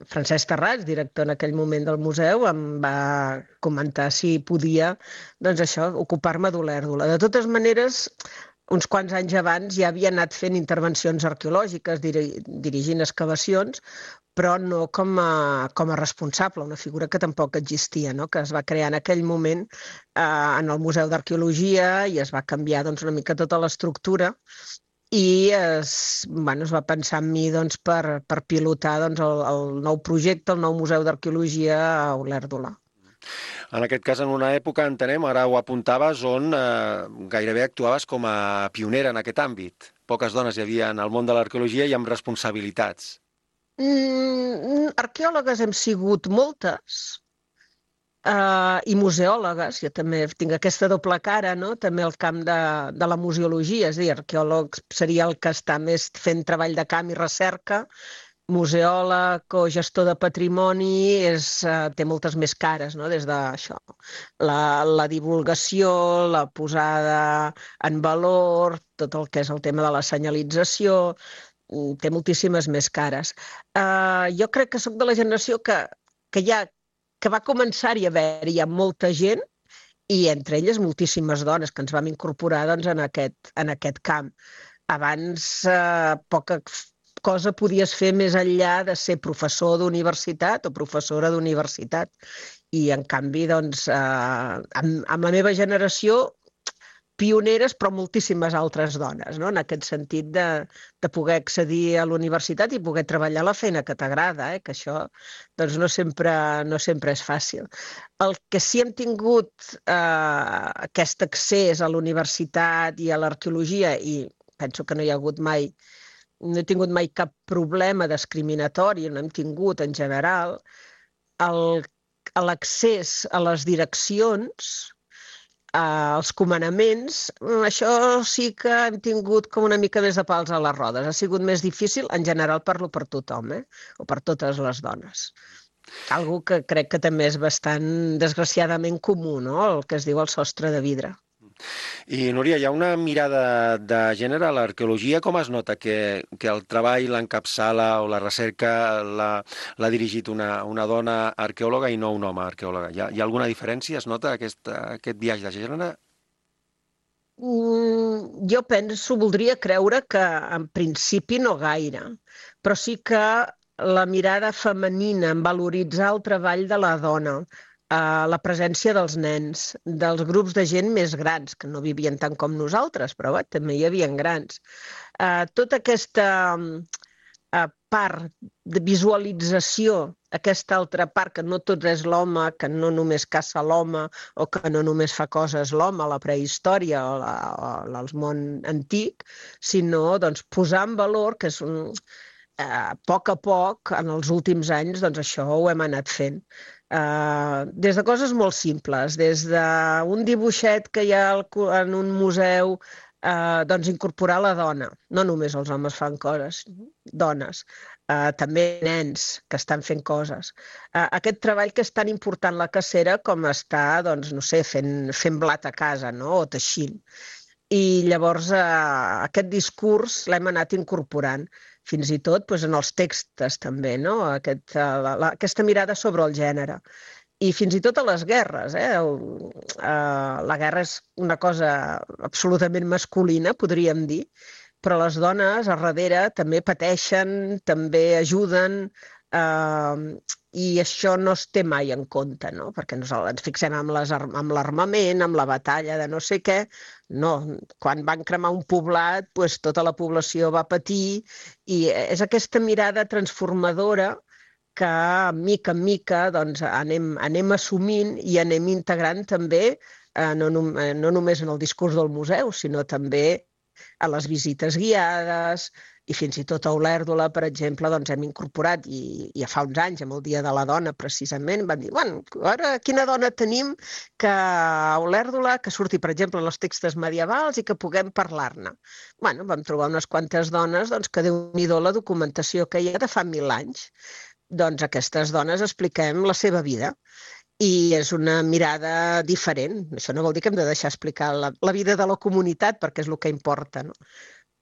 Francesc Tarrats, director en aquell moment del museu, em va comentar si podia ocupar-me d'Olèrdola. De totes maneres, uns quants anys abans ja havia anat fent intervencions arqueològiques, dirigint excavacions, però no com a responsable, una figura que tampoc existia, no? Que es va crear en aquell moment en el Museu d'Arqueologia i es va canviar una mica tota l'estructura i es va pensar en mi per pilotar el nou projecte, el nou Museu d'Arqueologia a Olèrdola. En aquest cas, en una època, entenem, ara ho apuntaves, on gairebé actuaves com a pionera en aquest àmbit. Poques dones hi havia en el món de l'arqueologia i amb responsabilitats. Arqueòlogues hem sigut moltes, i museòlogues, jo també tinc aquesta doble cara, no? També el camp de la museologia, és a dir, arqueòleg seria el que està més fent treball de camp i recerca, museòleg o gestor de patrimoni té moltes més cares, no? Des d'això, la divulgació, la posada en valor, tot el que és el tema de la senyalització, té moltíssimes més cares. Jo crec que soc de la generació que va començar-hi a haver-hi molta gent i entre elles moltíssimes dones que ens vam incorporar en aquest camp. Abans poca cosa podies fer més enllà de ser professor d'universitat o professora d'universitat i en canvi amb la meva generació pioneres, però moltíssimes altres dones, no? En aquest sentit de poder accedir a la universitat i poder treballar la feina que t'agrada, que això no sempre és fàcil. El que sí hem tingut aquest accés a la universitat i a l'arqueologia, i penso que no he tingut mai cap problema discriminatori, no hem tingut en general, l'accés a les direccions, als comandaments, això sí que hem tingut com una mica més de pals a les rodes. Ha sigut més difícil, en general parlo per tothom, o per totes les dones. Algo que crec que també és bastant, desgraciadament, comú, no? El que es diu el sostre de vidre. I, Núria, hi ha una mirada de gènere a l'arqueologia. Com es nota que el treball, l'encapçala o la recerca l'ha dirigit una dona arqueòloga i no un home arqueòloga? Hi ha alguna diferència? Es nota aquest biaix de gènere? Jo voldria creure que en principi no gaire, però sí que la mirada femenina en valoritzar el treball de la dona, la presència dels nens, dels grups de gent més grans, que no vivien tant com nosaltres, però també hi havia grans. Tota aquesta part de visualització, aquesta altra part que no tot és l'home, que no només caça l'home o que no només fa coses l'home a la prehistòria o al món antic, sinó posar en valor que és a poc, en els últims anys, això ho hem anat fent. Des de coses molt simples, des d'un dibuixet que hi ha en un museu, incorporar la dona. No només els homes fan coses, dones. També nens que estan fent coses. Aquest treball que és tan important la cacera com estar, fent blat a casa, o teixint. I llavors aquest discurs l'hem anat incorporant, fins i tot en els textos també, aquesta mirada sobre el gènere. I fins i tot a les guerres. La guerra és una cosa absolutament masculina, podríem dir, però les dones a darrere també pateixen, també ajuden, i això no es té mai en compte, perquè ens fixem en l'armament, en la batalla de no sé què. No, quan van cremar un poblat, tota la població va patir, i és aquesta mirada transformadora que mica en mica anem assumint i anem integrant també, no només en el discurs del museu, sinó també a les visites guiades, i fins i tot a Olèrdola, per exemple, hem incorporat, i ja fa uns anys, amb el Dia de la Dona, precisament, van dir, ara quina dona tenim a Olèrdola que surti, per exemple, en els textos medievals i que puguem parlar-ne. Vam trobar unes quantes dones que déu-n'hi-do la documentació que hi ha de fa 1000 anys. Aquestes dones expliquem la seva vida i és una mirada diferent. Això no vol dir que hem de deixar explicar la vida de la comunitat, perquè és el que importa,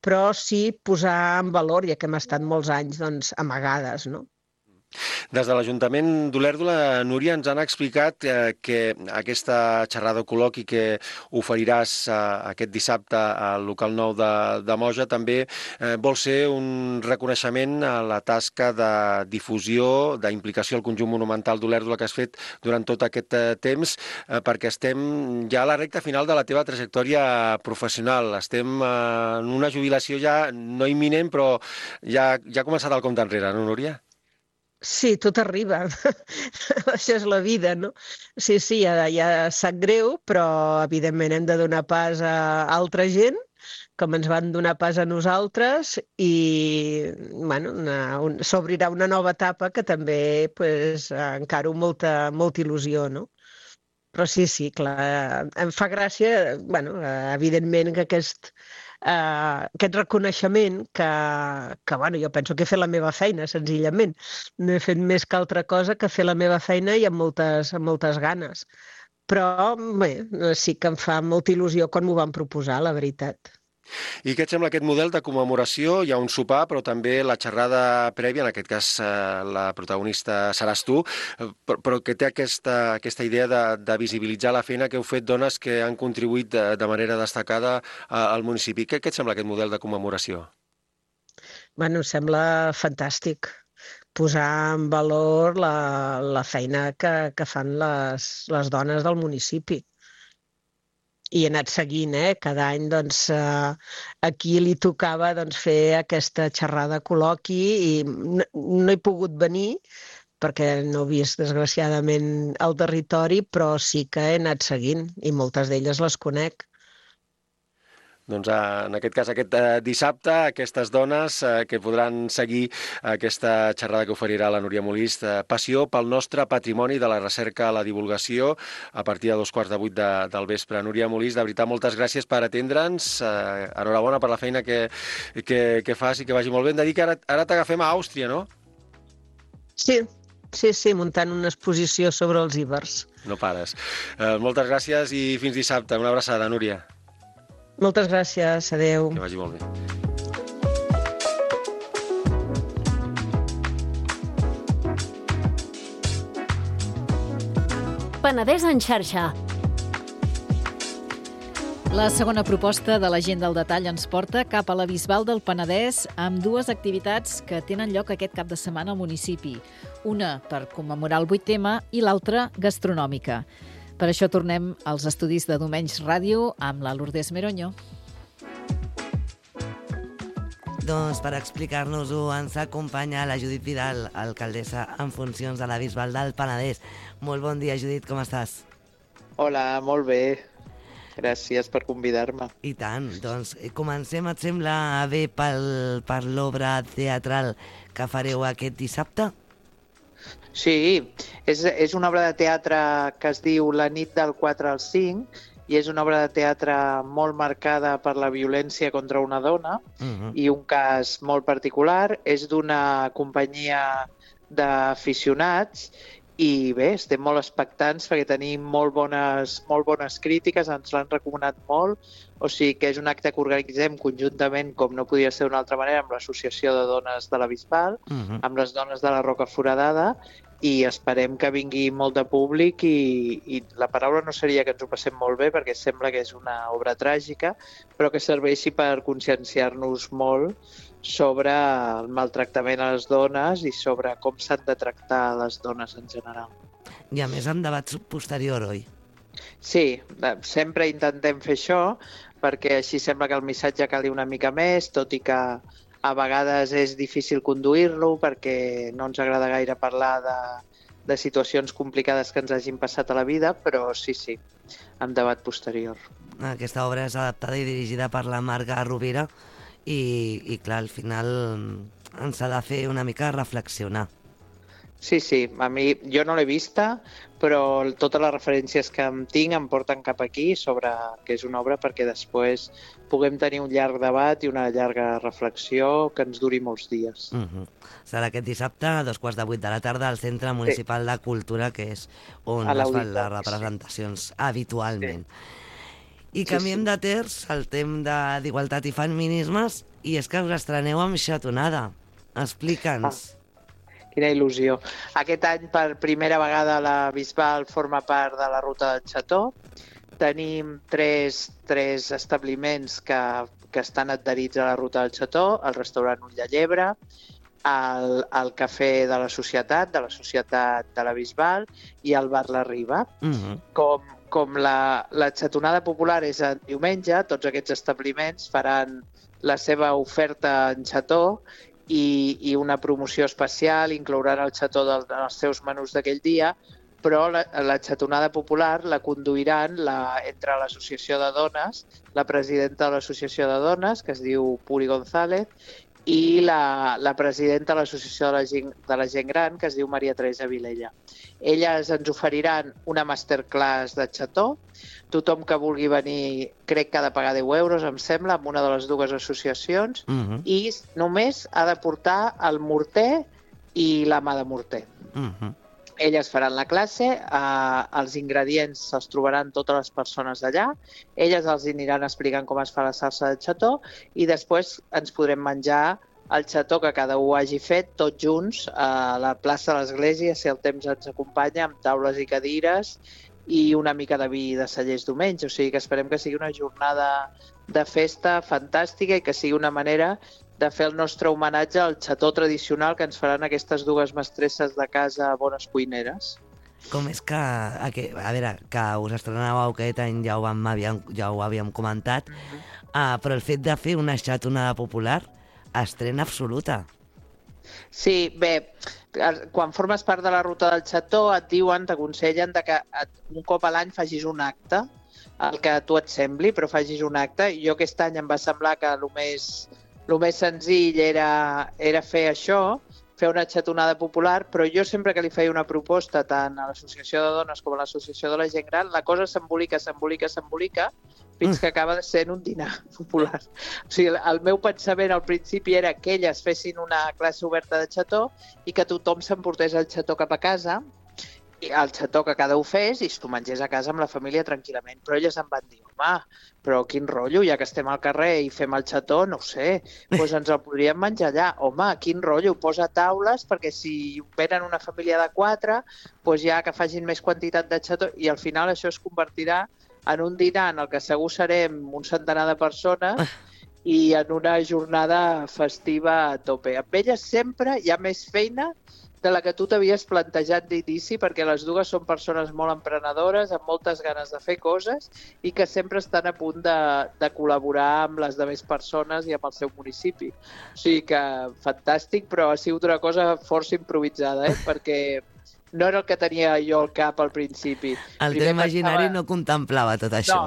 però sí posar en valor, ja que hem estat molts anys amagades. Des de l'Ajuntament d'Olèrdola, Núria, ens han explicat que aquesta xerrada o col·loqui que oferiràs aquest dissabte al local 9 de Moja també vol ser un reconeixement a la tasca de difusió, d'implicació al conjunt monumental d'Olèrdola que has fet durant tot aquest temps, perquè estem ja a la recta final de la teva trajectòria professional. Estem en una jubilació ja no imminent, però ja ha començat el compte enrere, no, Núria? Sí, tot arriba. Això és la vida, no? Sí, ja sap greu, però evidentment hem de donar pas a altra gent, com ens van donar pas a nosaltres, i s'obrirà una nova etapa que també encaro molta il·lusió, no? Però sí, clar, em fa gràcia, evidentment, que aquest reconeixement que jo penso que he fet la meva feina, senzillament. No he fet més que altra cosa que fer la meva feina i amb moltes ganes. Però bé, sí que em fa molta il·lusió quan m'ho van proposar, la veritat. I què et sembla aquest model de commemoració? Hi ha un sopar, però també la xerrada prèvia, en aquest cas la protagonista seràs tu, però que té aquesta idea de visibilitzar la feina que heu fet dones que han contribuït de manera destacada al municipi. Què et sembla aquest model de commemoració? Em sembla fantàstic posar en valor la feina que fan les dones del municipi. I he anat seguint, cada any a qui li tocava fer aquesta xerrada col·loqui, i no he pogut venir perquè no he vist desgraciadament el territori, però sí que he anat seguint i moltes d'elles les conec. Doncs en aquest cas, aquest dissabte, aquestes dones que podran seguir aquesta xerrada que oferirà la Núria Molist, Passió pel nostre patrimoni de la recerca a la divulgació, a partir de 7:15 del vespre. Núria Molist, de veritat, moltes gràcies per atendre'ns. Enhorabona per la feina que fas i que vagi molt bé. Hem de dir que ara t'agafem a Àustria, no? Sí, Sí, muntant una exposició sobre els ibers. No pares. Moltes gràcies i fins dissabte. Una abraçada, Núria. Moltes gràcies, adeu. Que vagi molt bé. Penedès en xarxa. La segona proposta de la gent del detall ens porta cap a la Bisbal del Penedès amb dues activitats que tenen lloc aquest cap de setmana al municipi. Una per commemorar el 8M i l'altra gastronòmica. Per això tornem als estudis de Domenys Ràdio amb la Lourdes Meroño. Doncs per explicar-nos-ho ens acompanya la Judit Vidal, alcaldessa en funcions de la Bisbal del Penedès. Molt bon dia, Judit, com estàs? Hola, molt bé. Gràcies per convidar-me. I tant. Doncs comencem, et sembla bé, per l'obra teatral que fareu aquest dissabte? Sí, és una obra de teatre que es diu La nit del 4 al 5 i és una obra de teatre molt marcada per la violència contra una dona i un cas molt particular. És d'una companyia d'aficionats i bé, estem molt expectants perquè tenim molt bones crítiques, ens l'han recomanat molt, o sigui que és un acte que organitzem conjuntament, com no podia ser d'una altra manera, amb l'Associació de Dones de la Bisbal, amb les dones de la Roca Foradada, i esperem que vingui molt de públic i la paraula no seria que ens ho passem molt bé perquè sembla que és una obra tràgica, però que serveixi per conscienciar-nos molt sobre el maltractament a les dones i sobre com s'han de tractar les dones en general. I a més amb debat posterior, oi? Sí, sempre intentem fer això perquè així sembla que el missatge cali una mica més, tot i que a vegades és difícil conduir-lo perquè no ens agrada gaire parlar de situacions complicades que ens hagin passat a la vida, però sí, amb debat posterior. Aquesta obra és adaptada i dirigida per la Marga Rovira i clar, al final ens ha de fer una mica reflexionar. Sí, a mi, jo no l'he vista, però totes les referències que em tinc em porten cap aquí sobre que és una obra perquè després puguem tenir un llarg debat i una llarga reflexió que ens duri molts dies. Serà aquest dissabte a 7:45 de la tarda al Centre Municipal de Cultura, que és on es fan les representacions habitualment. I canviem de terç al tema d'igualtat i feminismes i és que us estreneu amb xatonada. Explica'ns. Quina il·lusió. Aquest any, per primera vegada, la Bisbal forma part de la Ruta del Xató. Tenim tres establiments que estan adherits a la Ruta del Xató, el restaurant Ull de Llebre, el cafè de la Societat de la Bisbal i el bar La Riba. Com la xatonada popular és el diumenge, tots aquests establiments faran la seva oferta en xató i una promoció especial, inclouran el xató dels seus menús d'aquell dia, però la xatonada popular la conduiran entre l'Associació de Dones, la presidenta de l'Associació de Dones, que es diu Puri González, i la presidenta de l'Associació de la Gent Gran, que es diu Maria Teresa Vilella. Elles ens oferiran una masterclass de xató. Tothom que vulgui venir crec que ha de pagar 10 euros, em sembla, amb una de les dues associacions, i només ha de portar el morter i la mà de morter. Elles faran la classe, els ingredients se'ls trobaran totes les persones d'allà, elles els aniran explicant com es fa la salsa de xató i després ens podrem menjar el xató que cada un hagi fet tots junts a la plaça de l'Església, si el temps ens acompanya, amb taules i cadires i una mica de vi de cellers diumenge. O sigui que esperem que sigui una jornada de festa fantàstica i que sigui una manera de fer el nostre homenatge al xató tradicional que ens faran aquestes dues mestresses de casa bones cuineres. Com és que, a veure, que us estrenàveu aquest any, ja ho havíem comentat, però el fet de fer una xatonada popular, estrena absoluta. Sí, bé, quan formes part de la Ruta del Xató et diuen, t'aconsellen que un cop a l'any facis un acte, el que a tu et sembli, però facis un acte. Jo aquest any em va semblar que el més senzill era fer això, fer una xatonada popular, però jo sempre que li feia una proposta tant a l'Associació de Dones com a l'Associació de la Gent Gran, la cosa s'embolica fins que acaba sent un dinar popular. O sigui, el meu pensament al principi era que elles fessin una classe oberta de xató i que tothom s'emportés el xató cap a casa, i el xató que cada un fes i s'ho mengés a casa amb la família tranquil·lament. Però elles em van dir, home, però quin rotllo, ja que estem al carrer i fem el xató, no ho sé, doncs ens el podríem menjar allà. Home, quin rotllo, posa taules perquè si venen una família de 4, doncs ja que facin més quantitat de xató i al final això es convertirà en un dinar en el que segur serem un centenar de persones i en una jornada festiva a tope. Amb elles sempre hi ha més feina de la que tu t'havies plantejat d'inici, perquè les dues són persones molt emprenedores, amb moltes ganes de fer coses i que sempre estan a punt de col·laborar amb les demés persones i amb el seu municipi. O sigui que fantàstic, però ha sigut una cosa força improvisada, perquè no era el que tenia jo al cap al principi. El teu imaginari no contemplava tot això,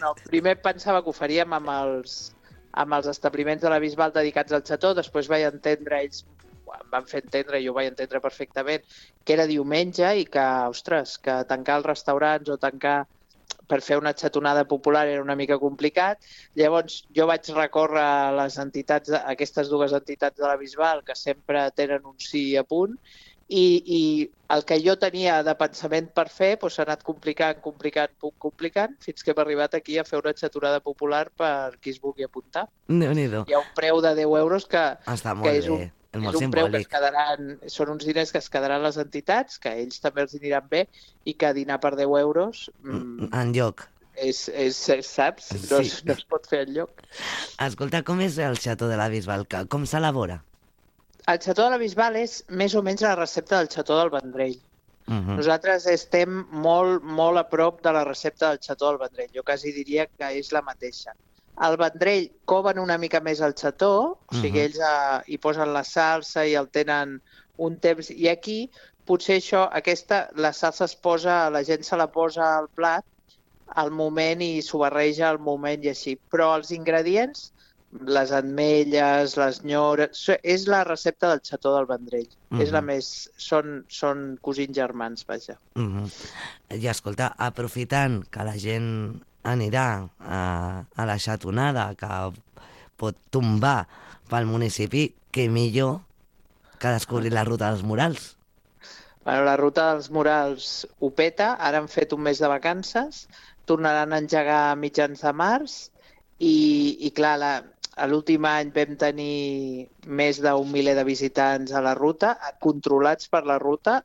No. Primer pensava que ho faríem amb els establiments de la Bisbal dedicats al xató, després vaig entendre, ells em van fer entendre, jo ho vaig entendre perfectament, que era diumenge i que, ostres, que tancar els restaurants o tancar per fer una xatonada popular era una mica complicat. Llavors jo vaig recórrer a les entitats, a aquestes dues entitats de la Bisbal que sempre tenen un sí a punt i el que jo tenia de pensament per fer s'ha anat complicant, fins que hem arribat aquí a fer una xatonada popular per qui es vulgui apuntar. Déu-n'hi-do. Hi ha un preu de 10 euros que és un preu que es quedaran, són uns diners que es quedaran les entitats, que ells també els aniran bé i que dinar per 10 euros... Enlloc. Saps? No es pot fer enlloc. Escolta, com és el xató de la Bisbal? Com s'elabora? El xató de la Bisbal és més o menys la recepta del xató del Vendrell. Nosaltres estem molt, molt a prop de la recepta del xató del Vendrell. Jo quasi diria que és la mateixa. Al Vendrell coven una mica més el xató, o sigui, ells hi posen la salsa i el tenen un temps. I aquí, potser la salsa la gent se la posa al plat al moment i s'ho barreja al moment i així. Però els ingredients, les ametlles, les nyores... És la recepta del xató del Vendrell. És la més... Són cosins germans, vaja. I escolta, aprofitant que la gent anirà a la xatonada que pot tombar pel municipi, què millor que descobrir la ruta dels murals? La ruta dels murals ho peta, ara han fet un mes de vacances, tornaran a engegar a mitjans de març i clar, l'últim any vam tenir més d'un miler de visitants a la ruta, controlats per la ruta,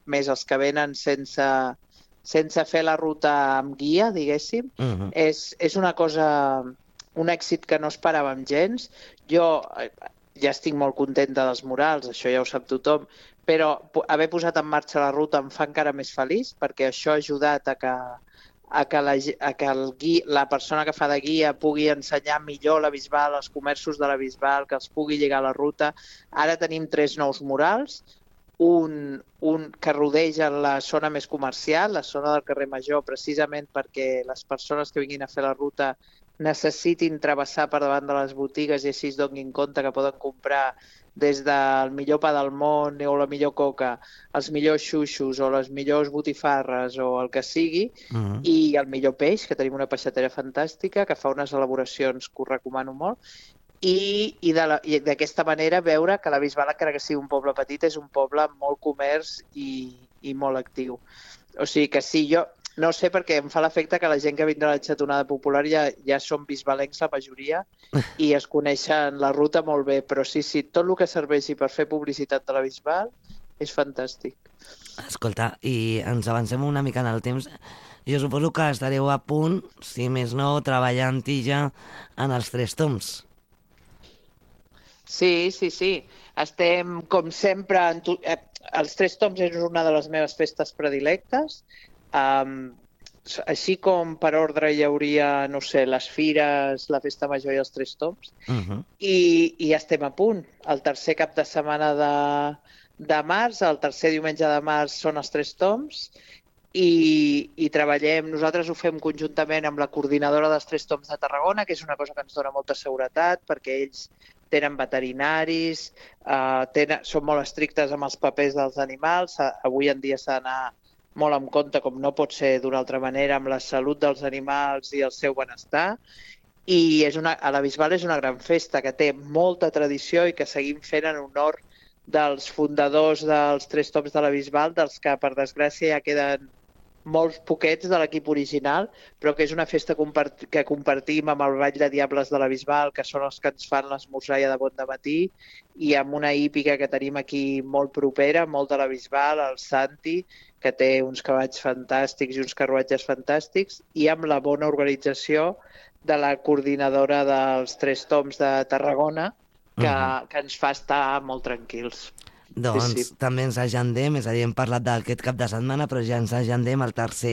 més els que venen sense fer la ruta amb guia, diguéssim. És una cosa, un èxit que no esperàvem gens. Jo ja estic molt contenta dels murals, això ja ho sap tothom, però haver posat en marxa la ruta em fa encara més feliç, perquè això ha ajudat a que la persona que fa de guia pugui ensenyar millor la Bisbal, els comerços de la Bisbal, que els pugui lligar a la ruta. Ara tenim 3 nous murals, un que rodeja la zona més comercial, la zona del carrer Major, precisament perquè les persones que vinguin a fer la ruta necessitin travessar per davant de les botigues i així es donin compte que poden comprar des del millor pa del món o la millor coca, els millors xuxos o les millors botifarres o el que sigui, i el millor peix, que tenim una peixatera fantàstica que fa unes elaboracions que us recomano molt, i d'aquesta manera veure que la Bisbal, encara que sigui un poble petit, és un poble amb molt comerç i molt actiu. O sigui que sí, jo no sé, perquè em fa l'efecte que la gent que vindrà a la xatonada popular ja són bisbalencs la majoria i es coneixen la ruta molt bé, però sí, tot el que serveixi per fer publicitat de la Bisbal és fantàstic. Escolta, i ens avancem una mica en el temps. Jo suposo que estareu a punt, si més no, treballant-hi ja en els 3 toms. Sí. Estem, com sempre, els 3 toms és una de les meves festes predilectes. Així com per ordre hi hauria, no sé, les fires, la festa major i els 3 toms. I estem a punt. El tercer cap de setmana de març, el tercer diumenge de març són els 3 toms i treballem, nosaltres ho fem conjuntament amb la coordinadora dels 3 toms de Tarragona, que és una cosa que ens dona molta seguretat perquè ells tenen veterinaris, són molt estrictes amb els papers dels animals, avui en dia s'ha d'anar molt en compte, com no pot ser d'una altra manera, amb la salut dels animals i el seu benestar. I a la Bisbal és una gran festa que té molta tradició i que seguim fent en honor dels fundadors dels Tres Toms de la Bisbal, dels que, per desgràcia, ja queden molts poquets de l'equip original, però que és una festa que compartim amb el Ball de Diables de la Bisbal, que són els que ens fan l'esmorzar de bon dematí, i amb una hípica que tenim aquí molt propera, molt de la Bisbal, el Santi, que té uns cavalls fantàstics i uns carruatges fantàstics, i amb la bona organització de la coordinadora dels Tres Toms de Tarragona, que ens fa estar molt tranquils. Doncs també ens agendem, és a dir, hem parlat d'aquest cap de setmana, però ja ens agendem el tercer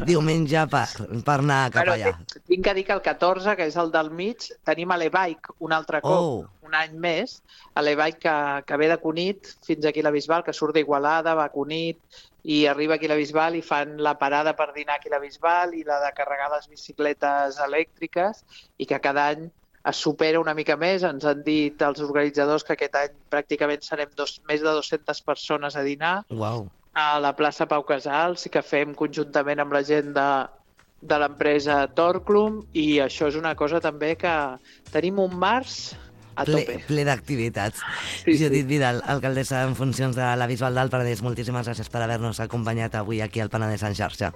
diumenge per anar cap allà. Tinc que dir que el 14, que és el del mig, tenim a l'E-Bike un altre cop, un any més, a l'E-Bike que ve de Cunit fins aquí a la Bisbal, que surt d'Igualada, va a Cunit i arriba aquí a la Bisbal i fan la parada per dinar aquí a la Bisbal i la de carregar les bicicletes elèctriques, i que cada any es supera una mica més. Ens han dit els organitzadors que aquest any pràcticament serem més de 200 persones a dinar a la plaça Pau Casals, i que fem conjuntament amb la gent de l'empresa Torclum, i això és una cosa també que tenim un març a tope. Ple d'activitats. Judit Vidal, alcaldessa en funcions de la Bisbal del Penedès, moltíssimes gràcies per haver-nos acompanyat avui aquí al Penedès en xarxa.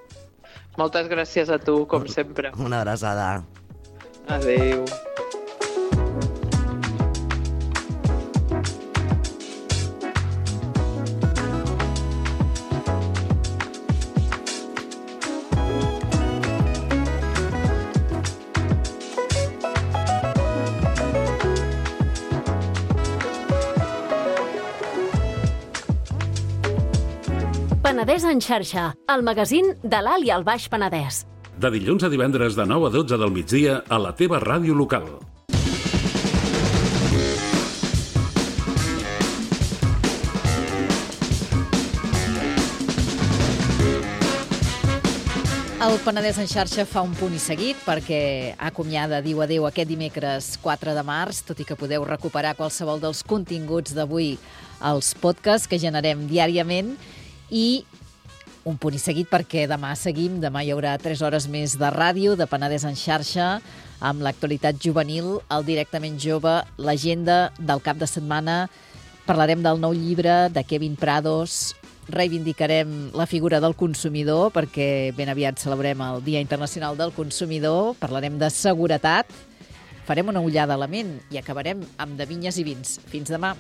Moltes gràcies a tu, com sempre. Una abraçada. Adéu. Penedès en xarxa, el magazín de l'Alt i el Baix Penedès. De dilluns a divendres de 9 a 12 del migdia a la teva ràdio local. El Penedès en xarxa fa un punt i seguit perquè acomiada diu adéu aquest dimecres 4 de març, tot i que podeu recuperar qualsevol dels continguts d'avui als podcasts que generem diàriament. I un punt i seguit perquè demà seguim, demà hi haurà 3 hores més de ràdio, de Penedès en xarxa, amb l'actualitat juvenil, el Directament Jove, l'agenda del cap de setmana. Parlarem del nou llibre de Kevin Prados, reivindicarem la figura del consumidor perquè ben aviat celebrem el Dia Internacional del Consumidor, parlarem de seguretat, farem una ullada a la ment i acabarem amb de vinyes i vins. Fins demà.